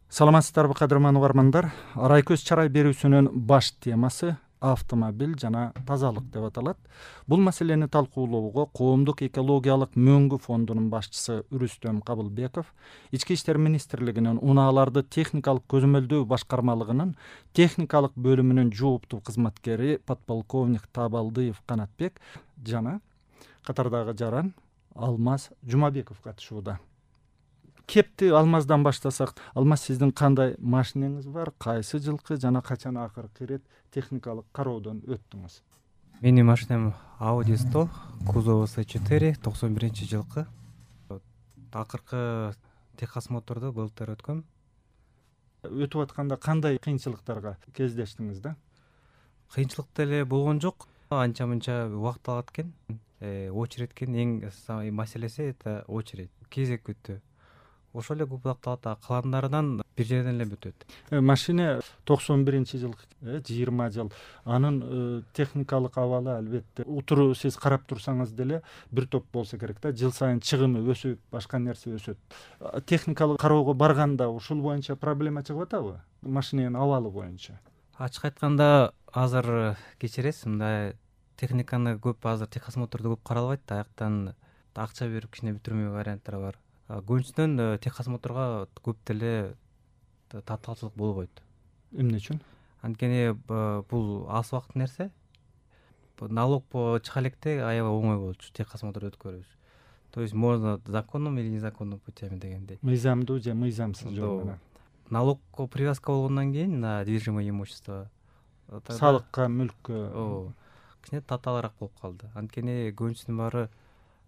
Саламатсыздарбы кадырман угармандар. Арай көз чарай берүүсүнүн баш темасы автомобиль жана тазалык деп аталат. Бул маселени талкуулоого Коомдук экологиялык мөңгү фондунун башчысы Үрүстөм Кабылбеков, Ички иштер министрлигинин унааларды техникалык көзөмөлдөө башкармалыгынын техникалык бөлүмүнүн жооптуу кызматкери подполковник Табалдыев Канатбек жана катардагы жаран Алмаз Жумабеков катышууда. Кепти Алмаздан баштасак, Алмаз, сиздин кандай машинеңиз бар, кайсы жылкы жана качан акыркы ирет техникалык кароодон өттүңүз? Менин машинам Audi 100, кузову C4, 91-жылкы. Акыркы техосмотрду былтыр өткөм. Өтүп атканда кандай кыйынчылыктарга кездештиңиз да? Кыйынчылык деле болгон жок. Анча-мынча убакыт алат экен. Очередтин эң маселеси это очередь, кезек күтүү. Ошол эле көп убакыт алат, калгандарынан бир жерден эле бүтөт. Машина 91-жылкы, 20 жыл. Анын техникалык абалы албетте утуру сиз карап турсаңыз деле бир топ болсо керек да. Жыл сайын чыгымы өсүп, башка нерсе өсөт. Техникалык кароого барганда ушул боюнча проблема чыгып атабы? Машинанын абалы боюнча. Ачык айтканда азыр кечиресиз, мындай техниканы көп азыр техосмотрду көп каралбайт да, аяктан акча берип кичине бүтүрмө варианттар бар. Көбүнчөдөн техосмотрго көп деле татаалчылык болбойт. Эмне үчүн? Анткени бул аз убакыт нерсе. Налог чыга электе аябай оңой болчу техосмотр өткөрүш. То есть можно законным или незаконным путями дегендей. Мыйзамдуу же мыйзамсыз жол менен. Налогко привязка болгондон кийин на движимое имущество, салыкка, мүлккө кичине татаалыраак болуп калды. Анткени көбүнчүсүнүн баары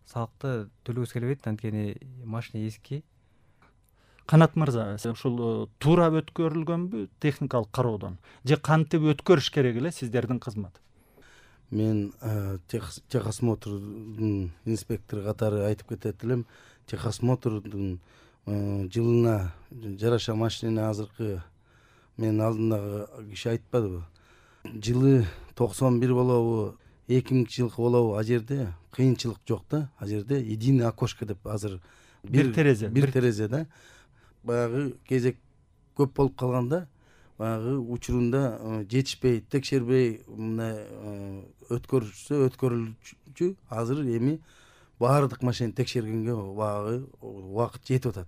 салыкты төлөгүсү келбейт, анткени машина эски. Канат мырза, ушул туура өткөрүлгөнбү техникалык кароодон же кантип өткөрүш керек эле сиздердин кызмат? Мен техосмотрдун инспектору катары айтып кетет элем. Техосмотрдун жылына жараша машинени азыркы менин алдымдагы киши айтпадыбы? Жылы 91 болобу, 2000-жылкы болобу, а жерде кыйынчылык жок да. А жерде единый окошко деп азыр бир терезе да. Баягы кезек көп болуп калганда, баягы учурунда жетишпей, текшербей мындай өткөрүлчү. Азыр эми баардык машинени текшергенге баягы убакыт жетип атат.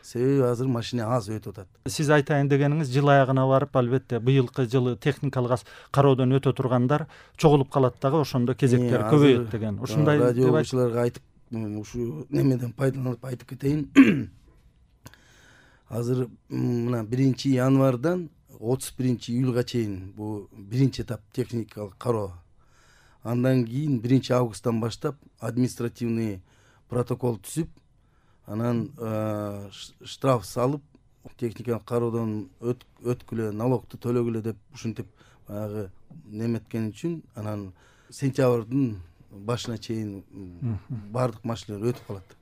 Себеби азыр машина аз өтүп атат. Сиз айтайын дегениңиз, жыл аягына барып, албетте быйылкы жылы техникалык кароодон өтө тургандар чогулуп калат дагы, ошондо кезектер көбөйөт деген. Ушундай радиочуларга айтып, ушу немеден пайдаланып айтып кетейин. Азыр мына 1-январдан 31-июлга чейин бул биринчи этап техникалык кароо. Андан кийин 1-августтан баштап административный протокол түзүп, анан штраф салып, техникалык кароодон өткүлө, налогду төлөгүлө деп ушинтип баягы неметкен үчүн, анан сентябрдын башына чейин баардык машиналар өтүп калат.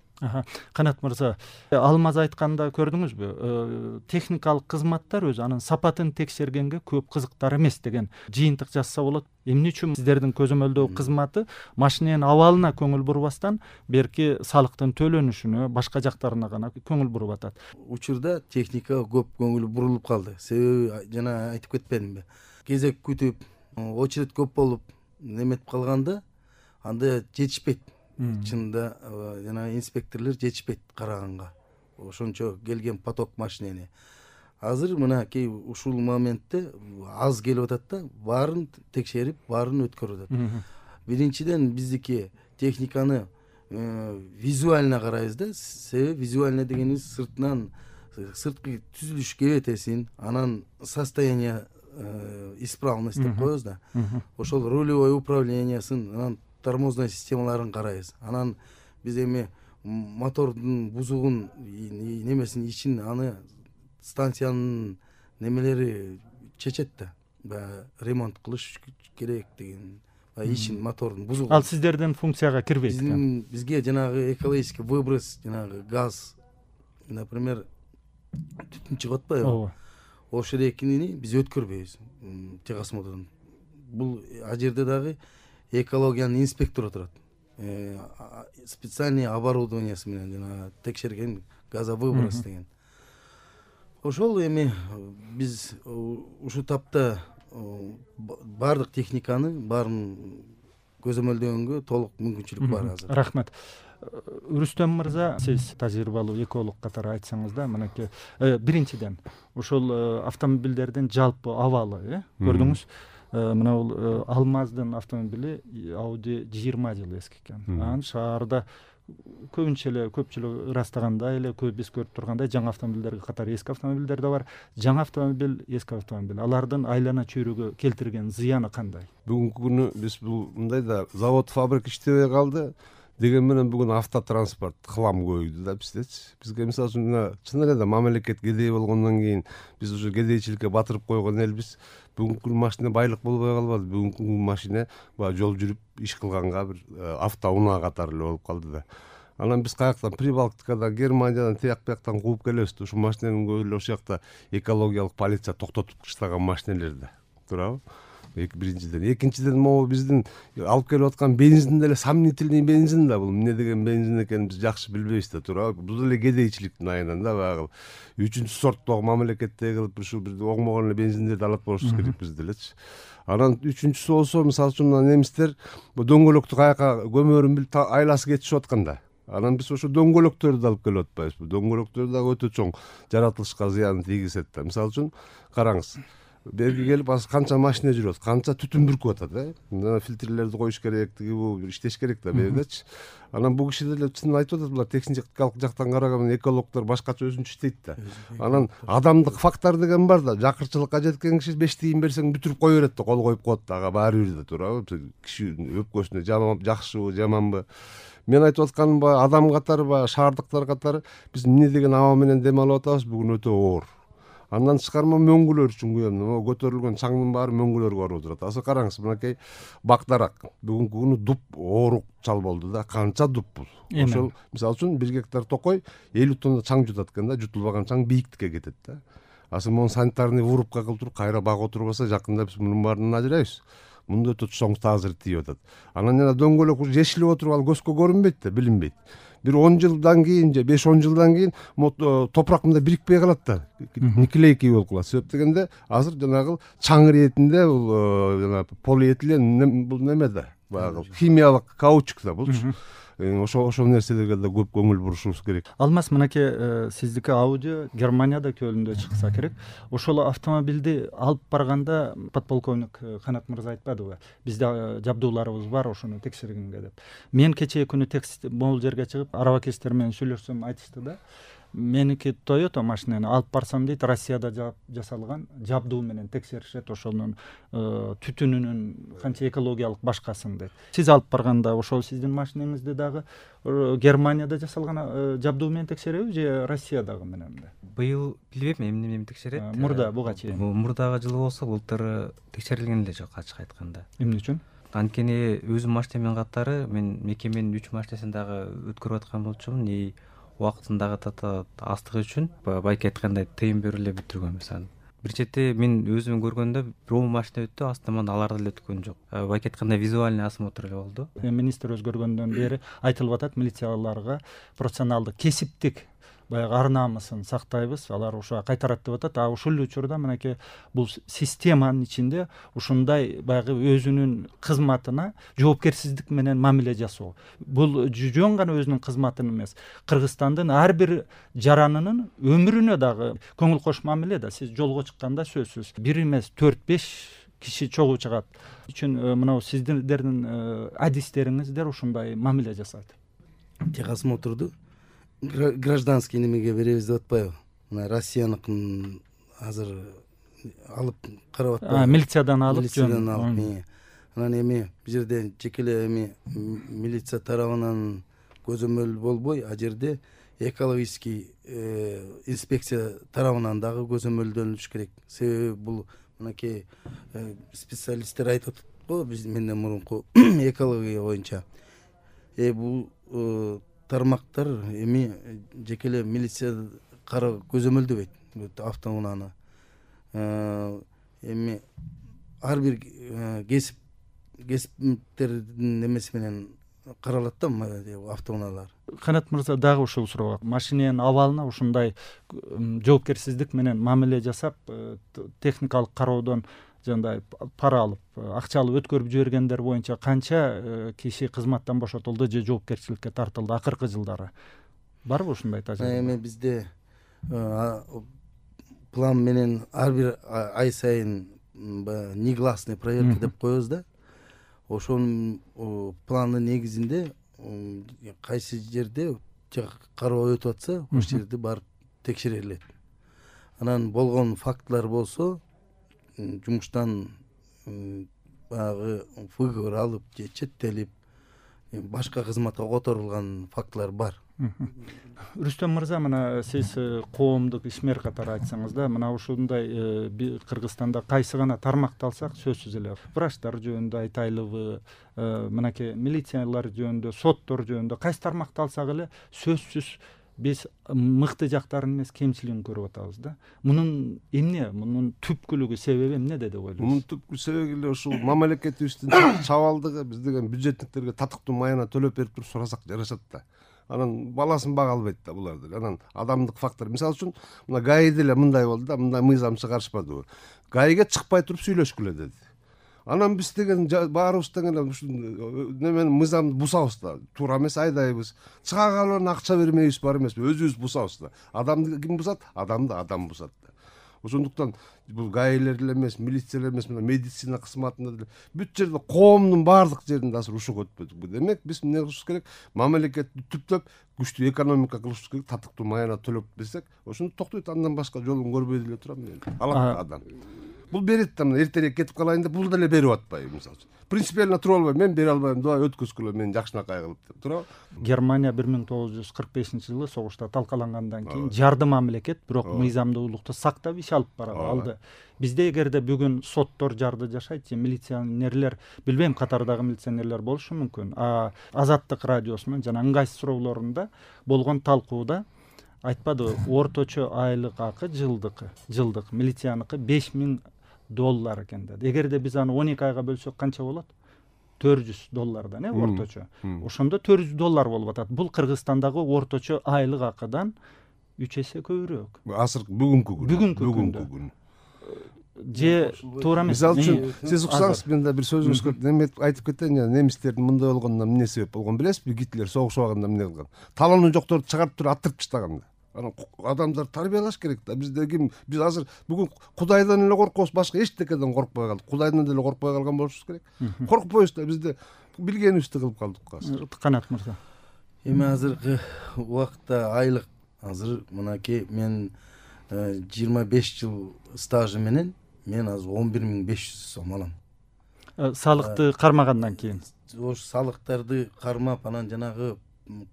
Канат мырза, Алмаз айтканда көрдүңүзбү? Техникалык кызматтар өзү анын сапатын текшергенге көп кызыктар эмес деген жыйынтык жазса болот. Эмне үчүн сиздердин көзөмөлдөө кызматы машинанын абалына көңүл бурбастан, берки салыктын төлөнүшүнө, башка жактарына гана көңүл буруп атат? Учурда техникага көп көңүл бурулуп калды. Себеби жана айтып кетпедимби? Кезек күтүп, очередь көп болуп, неметип калганда, анда жетишпейт. Чында жана инспекторлор жетишпейт караганга. Ошончо келген поток машинени. Азыр мынакей ушул моментте аз келип атат да, баарын текшерип, баарын өткөрүп атат. Биринчиден биздики техниканы визуально карайбыз да. Себеби визуально дегенибиз сыртынан, сырткы түзүлүш кебетесин, анан состояние исправность деп коебуз да. Ошол рулевой управлениясын, анан тормозной системаларын карайбыз. Анан биз эми мотордун бузугун, немесин ичин, аны станциянын немелери чечет да. Баягы ремонт кылыш керек деген. Ичин мотордун бузугу. Ал сиздердин функцияга кирбейт экен. Бизге жанагы экологический выброс, жанагы газ, например, түтүн чыгып атпайбы? Ооба. Ошол биз өткөрбөйбүз техосмотрдон. Бул а жерде дагы экологиянын инспектору турат. Специальный оборудованиясы менен жана текшерген газовыброс деген. ошол эми биз ушул тапта баардык техниканы баарын көзөмөлдөгөнгө толук мүмкүнчүлүк бар азыр. Рахмат. Рүстөм мырза, сиз тажрыйбалуу эколог катары айтсаңыз да, мынакей биринчиден ушул автомобилдердин жалпы абалы көрдүңүз, мына бул Алмаздын автомобили Audi 20 жыл эски экен. Анан шаарда көбүнчө эле көпчүлүк ырастагандай эле биз көрүп тургандай жаңы автомобилдерге катары эски автомобилдер да бар. Жаңы автомобиль, эски автомобиль, алардын айлана чөйрөгө келтирген зыяны кандай? Бүгүнкү күнү биз бул мындай да завод, фабрика иштебей калды деген менен бүгүн автотранспорт хлам көбөйдү да биздечи. Бизге мисалы үчүн чын эле да мамлекет кедей болгондон кийин биз уже кедейчиликке батырып койгон элбиз. Бүгүнкү күнү машина байлык болбой калбады. Бүгүнкү күнү машина баягы жол жүрүп иш кылганга бир автоунаа катары эле болуп калды да. Анан биз каяктан Прибалтикадан, Германиядан, тияк-бияктан кууп келебиз. Ушул машиненин көбү эле ошол жакта экологиялык полиция токтотуп таштаган машинелер да. Туурабы? Биринчиден. Экинчиден могу биздин алып келип аткан бензин деле сомнительный бензин да. Бул эмне деген бензин экенин биз жакшы билбейбиз да, туурабы? Бул деле кедейчиликтин айынан да, баягы үчүнчү сорттогу мамлекеттеги кылып ушул бир оңмогон эле бензиндерди алат болушубуз керек биз делечи. Анан үчүнчүсү болсо, мисалы үчүн немистер бу дөңгөлөктү каяка көмөрүн билип айласы кетишип атканда. Анан биз ошо дөңгөлөктөрдү да алып келип атпайбызбы? Бул дөңгөлөктөр да өтө чоң жаратылышка зыян тийгизет да. Мисалы үчүн караңыз. Берги келип азыр канча машина жүрөт, канча түтүн бүркүп атат, Мына фильтрлерди коюш керек, бул иштеш керек да бердечи. Анан бул киши деле чын айтып атат, булар техникалык жактан караганда экологдор башкача өзүнчө иштейт да. Анан адамдык фактор деген бар да. Жакырчылыкка жеткен киши 5 тыйын берсең бүтүрүп кое берет да, кол коюп коет да, ага баары бир да, туурабы? Киши өпкөсүнө жакшыбы, жаманбы? Мен айтып атканым баягы адам катары, баягы шаардыктар катары биз эмне деген аба менен дем алып атабыз, бүгүн өтө оор. Андан тышкары мөңгүлөр үчүн күйөм. Көтөрүлгөн чаңдын баары мөңгүлөргө барып отурат. Азыр караңыз, мынакей Бакдарак бүгүнкү күнү дуп оорук чал болду да. Канча дуп бул? Ошол мисалы үчүн 1 гектар токой 50 тонна чаң жутат экен да, жутулбаган чаң бийиктикке кетет да. Азыр муну санитарный вырубка кылып туруп кайра багып отурбаса, жакында биз мунун баарынан ажырайбыз. Мунда өтө чоң таасир тийип атат. Анан жана дөңгөлөк жешилип отуруп ал көзгө көрүнбөйт да, билинбейт. Бир 10 жылдан кийин же 5-10 жылдан кийин топурак мында бирикпей калат да, никелейкий болуп калат. Себеп дегенде азыр жанагы чаң иретинде бул жана полиэтилен бул неме да, баягы химиялык каучук да булчу. Ошол нерселерге да көп көңүл бурушубуз керек. Алмаз, мынакей сиздики Audi Германияда Көлүндө чыкса керек. Ошол автомобилди алып барганда подполковник Канат мырза айтпадыбы? Бизде жабдууларыбыз бар, ошону текшергенге деп. Мен кечээ күнү могул жерге чыгып, арабакестер менен сүйлөшсөм айтышты да. Меники Toyota машинени алып барсам дейт, Россияда жасалган жабдуу менен текшеришет, ошонун түтүнүнүн канча экологиялык башкасын дейт. Сиз алып барганда ошол сиздин машинеңизди дагы Германияда жасалган жабдуу менен текшереби же Россиядагы менен? Быйыл билбейм эмне менен текшерет. Мурда буга чейин. Мурдагы жылы болсо былтыр текшерилген эле жок, ачык айтканда. Эмне үчүн? Анткени өзүм машинемен катары мен мекеменин 3 машинесин дагы өткөрүп аткан болчумун. Убактындагы астыгы үчүн байке айткандай тыйын берип эле бүтүргөнбүз аны. Бир чети мен өзүм көргөндө бир машина өттү, астынан алар деле өткөн жок. Байке айткандай визуальный осмотр эле болду. Министр өзгөргөндөн бери айтылып атат, милицияларга профессионалдык, кесиптик баягы ар намысын сактайбыз, алар ошо кайтарат деп атат. А ушул учурда мынакей бул системанын ичинде ушундай баягы өзүнүн кызматына жоопкерсиздик менен мамиле жасоо. Бул жөн гана өзүнүн кызматын эмес, Кыргызстандын ар бир жаранынын өмүрүнө дагы көңүл кош мамиле да. Сиз жолго чыкканда сөзсүз 1 эмес 4-5 киши чогуу чыгат. Үчүн мына сиздердин адистериңиздер ушундай мамиле жасайт. Техосмотрду гражданский немеге беребиз деп атпайбы? Мына Россияныкын азыр алып карап атпайбы? Милициядан алып, милициядан алып. Анан эми бул жерде жекеле эми милиция тарабынан көзөмөл болбой, а жерде экологический инспекция тарабынан дагы көзөмөлдөнүш керек. Себеби бул мынакей специалисттер айтып атат го, биз менден мурунку экология боюнча. Бул тармактар эми жекеле милиция көзөмөлдөбөйт автоунааны. Эми ар бир кесиптердин немеси менен каралат да автоунаалар. Канат мырза, дагы ушул суроо. Машиненин абалына ушундай жоопкерсиздик менен мамиле жасап, техникалык кароодон жандай пара алып, акча алып өткөрүп жибергендер боюнча канча киши кызматтан бошотулду же жоопкерчиликке тартылды акыркы жылдары? Барбы ушундай тажрыйба? Эми бизде план менен ар бир ай сайын негласный проверка деп коебуз да. Ошонун пландын негизинде кайсы жерде кароо өтүп атса, ошол жерде барып текшерилет. Анан болгон фактылар болсо жумуштан баягы выговор алып же четтелип башка кызматка которулган фактылар бар. Рүстөм мырза, мына сиз коомдук ишмер катары айтсаңыз да, мына ушундай Кыргызстанда кайсы гана тармакты алсак, сөзсүз эле врачтар жөнүндө айтайлыбы, мынакей милициялар жөнүндө, соттор жөнүндө кайсы тармакты алсак эле сөзсүз биз мыкты жактарын эмес, кемчилигин көрүп атабыз да. Мунун эмне, мунун түпкүлүгү, себеби эмнеде деп ойлойсуз? Мунун түпкү себеби эле ушул мамлекетибиздин чабалдыгы. Биз деген бюджетниктерге татыктуу маяна төлөп берип туруп сурасак жарашат да. Анан баласын бага албайт да буларды. Анан адамдык фактор. Мисалы үчүн мына ГАИде эле мындай болду да, мындай мыйзам чыгарышпадыбы. ГАИге чыкпай туруп сүйлөшкүлө деди. Анан биз деген баарыбыз деген ушул немени мыйзамды бузабыз да. Туура эмес, айдайбыз. Чыга калып акча бермейбиз, бар эмеспи? Өзүбүз бузабыз да. Адамды ким бузат? Адамды адам бузат да. Ошондуктан бул ГАИлер эле эмес, милициялар эмес, мына медицина кызматында деле бүт жерде коомдун баардык жеринде азыр ушуга өтпөдүк. Демек биз эмне кылышыбыз керек? Мамлекетти түптөп күчтүү экономика кылышыбыз керек, татыктуу маяна төлөп берсек, ошондо токтойт. Андан башка жолун көрбөй деле турам мен. Алат адам. Бул берет да, мына эртерээк кетип калайын деп бул деле берип атпайбы мисалы үчүн. Принципиально туруп албайм, мен бере албайм, давай өткөзгүлө, мен жакшынакай кылып деп туурабы? Германия 1945-жылы согушта талкалангандан кийин жарды мамлекет, бирок мыйзамдуулукту сактап иш алып алды. Бизде эгерде бүгүн соттор жарды жашайт же милиционерлер, билбейм, катардагы милиционерлер болушу мүмкүн. Азаттык радиосунун жана ыңгайсыз суроолорунда болгон талкууда айтпады, орточо айлык акы жылдык милицияныкы $5000 экен деди. Эгерде биз аны 12 айга бөлсөк канча болот? $400 орточо. Ошондо $400 болуп атат. Бул Кыргызстандагы орточо айлык акыдан 3 эсе көбүрөөк. Азыр бүгүнкү күн. Же туура эмес. Мисалы үчүн сиз уксаңыз, мен да бир сөзүңүзгө неме айтып кетейин. Немистердин мындай болгонуна эмне себеп болгон билесизби? Гитлер согуш убагында эмне кылган? Талоонун жокторду чыгарып туруп аттырып таштаган да. Анан адамдар тарбиялаш керек да. Бизде ким? Биз азыр бүгүн Кудайдан эле коркобуз, башка эчтекеден коркпой калдык. Кудайдан деле коркпой калган болушубуз керек. Коркпойбуз да, бизде билгенибизди кылып калдык азыр. Канат мырза. Эми азыркы убакытта айлык азыр мынакей мен 25 жыл стажы менен мен азыр 11500 сом алам. Салыкты кармагандан кийин. Ош салыктарды кармап, анан жанагы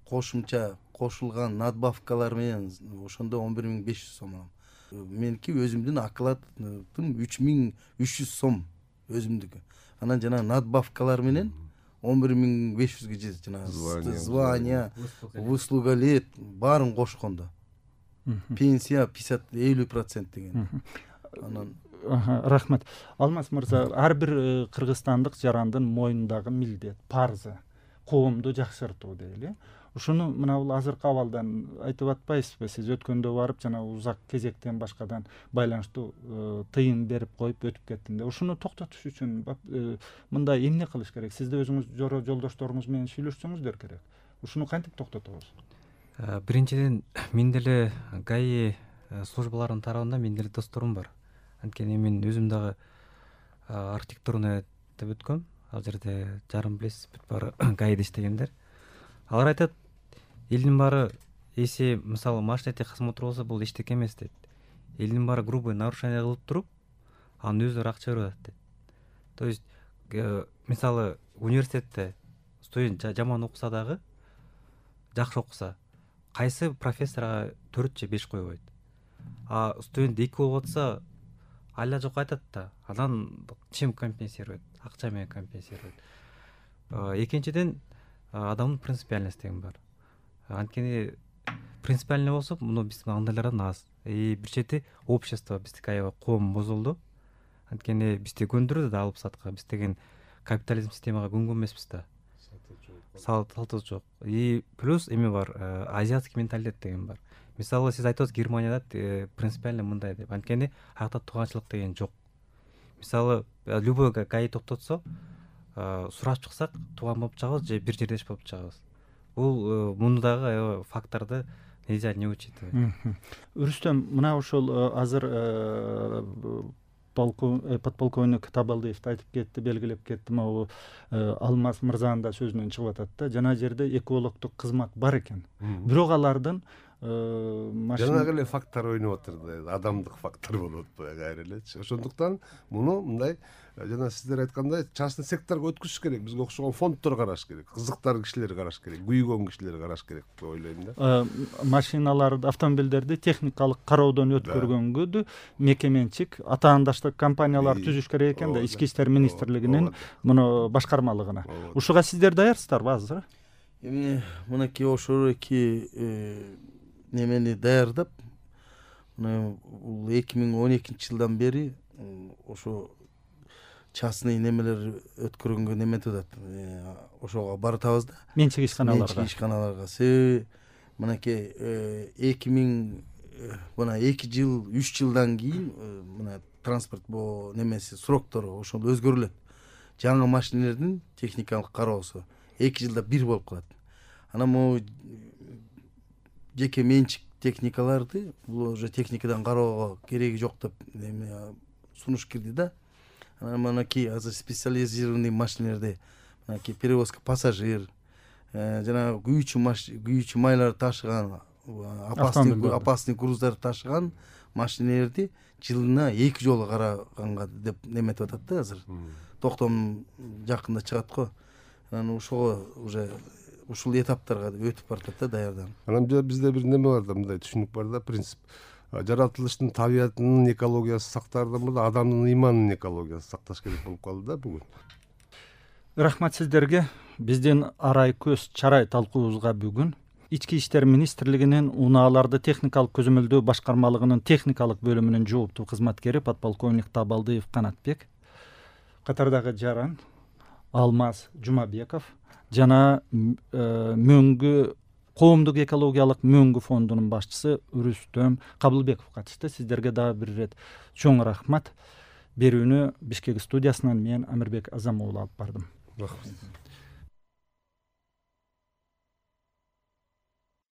кошумча кошулган надбавкалар менен ошондо 11500 сом алам. Меники өзүмдүн окладым 3300 сом өзүмдүкү. Анан жана надбавкалар менен 11500ге жетет, жана звание, выслуга лет баарын кошкондо. Пенсия 50% деген. Анан рахмат. Алмаз мырза, ар бир кыргызстандык жарандын мойнундагы милдет, парзы коомду жакшыртуу дейли. Ушуну мына бул азыркы абалдан айтып атпайсызбы? Сиз өткөндө барып жана узак кезектен башкадан байланыштуу тыйын берип коюп өтүп кеттим деп. Ушуну токтотуш үчүн мындай эмне кылыш керек? Сиз да өзүңүз жолдошторуңуз менен сүйлөшсөңүздөр керек. Ушуну кантип токтотобуз? Биринчиден, мен деле ГАИ службаларынын тарабында мен деле досторум бар. Анткени мен өзүм дагы архитектурный деп өткөм. Ал жерде жарым билесиз, бүт баары ГАИде иштегендер. Алар айтат, элдин баары эси, мисалы, машина техосмотр болсо бул эчтеке эмес дейт. Элдин баары грубый нарушение кылып туруп, анын өздөрү акча берип атат дейт. То есть, мисалы, университетте студент жаман окуса дагы, жакшы окуса, кайсы профессорго 4 же 5 койбойт. Студент 2 болуп атса, айла жок айтат да. Анан чем компенсирует? Акча менен компенсирует. Экинчиден, адамдын принципиальность деген бар. Анткени принципиальный болсо, муну биздин андайлардан аз. Бир чети общество, биздики аябай коом бузулду. Анткени бизди көндүрдү да алып сатка. Биз деген капитализм системага көнгөн эмеспиз да. салтыбыз жок. И плюс эме бар, азиатский менталитет деген бар. Мисалы сиз айтып атасыз, Германияда принципиально мындай деп. Анткени аяқта тууганчылык деген жок. Мисалы любой гаи токтотсо, сурап чыксак тууган болуп чыгабыз же бир жердеш болуп чыгабыз. Бул мундагы факторду нельзя не учитывать. Рүстөм, мына ошол азыр подполковник Табалдиев айтып кетти, белгилеп кетти, могу Алмаз мырзанын да сөзүнөн чыгып атат да, жана жерде экологдук кызмат бар экен. Бирок алардын жанагы эле фактор ойноп атыр да, адамдык фактор болуп атпайбы кайра элечи. Ошондуктан муну мындай жана сиздер айткандай частный секторго өткүзүш керек. Бизге окшогон фонддор караш керек, кызыктар кишилер караш керек, күйгөн кишилер караш керек деп ойлойм да. Машиналарды, автомобилдерди техникалык кароодон өткөргөнгө мекеменчик атаандаштык компаниялар түзүш керек экен да, Ички иштер министрлигинин муну башкармалыгына. Ушуга сиздер даярсыздарбы азыр? Эми мынакей ошол эки немени даярдап, бул 2012-жылдан бери ошо частный немелер өткөргөнгө неметип атат. Ошого баратабыз да. Менчик ишканаларга. Себеби мынакей 2000 мына 2 жыл, 3 жылдан кийин мына транспорт немеси сроктору ошол өзгөрүлөт. Жаңы машинелердин техникалык кароосу 2 жылда бир болуп калат. Анан могу жеке менчик техникаларды бул уже техникадан кароого кереги жок деп сунуш кирди да. Анан мынакей азыр специализированный машинелерди, мынакей перевозка пассажир, жана күйүүчү майларды ташыган, опасный груздарды ташыган машинелерди жылына 2 жолу караганга деп неметип атат да азыр. Токтом жакында чыгат го. Анан ошого уже ушул этаптарга өтүп баратат да, даярданып. Анан бизде бир неме бар да, мындай түшүнүк бар да, принцип. Жаратылыштын, табиятынын экологиясы сактаардан мурда адамдын ыйманынын экологиясы сакташ керек болуп калды да бүгүн. Рахмат сиздерге. Биздин арай көз чарай талкуубузга бүгүн Ички иштер министрлигинин унааларды техникалык көзөмөлдөө башкармалыгынын техникалык бөлүмүнүн жооптуу кызматкери подполковник Табалдиев Канатбек, катардагы жаран Алмаз Жумабеков жана мөңгү коомдук экологиялык мөңгү фондунун башчысы Рүстөм Кабылбеков катышты. Сиздерге дагы бир ирет чоң рахмат. Берүүнү Бишкек студиясынан мен Амирбек Азамуулу алып бардым. Рахмат.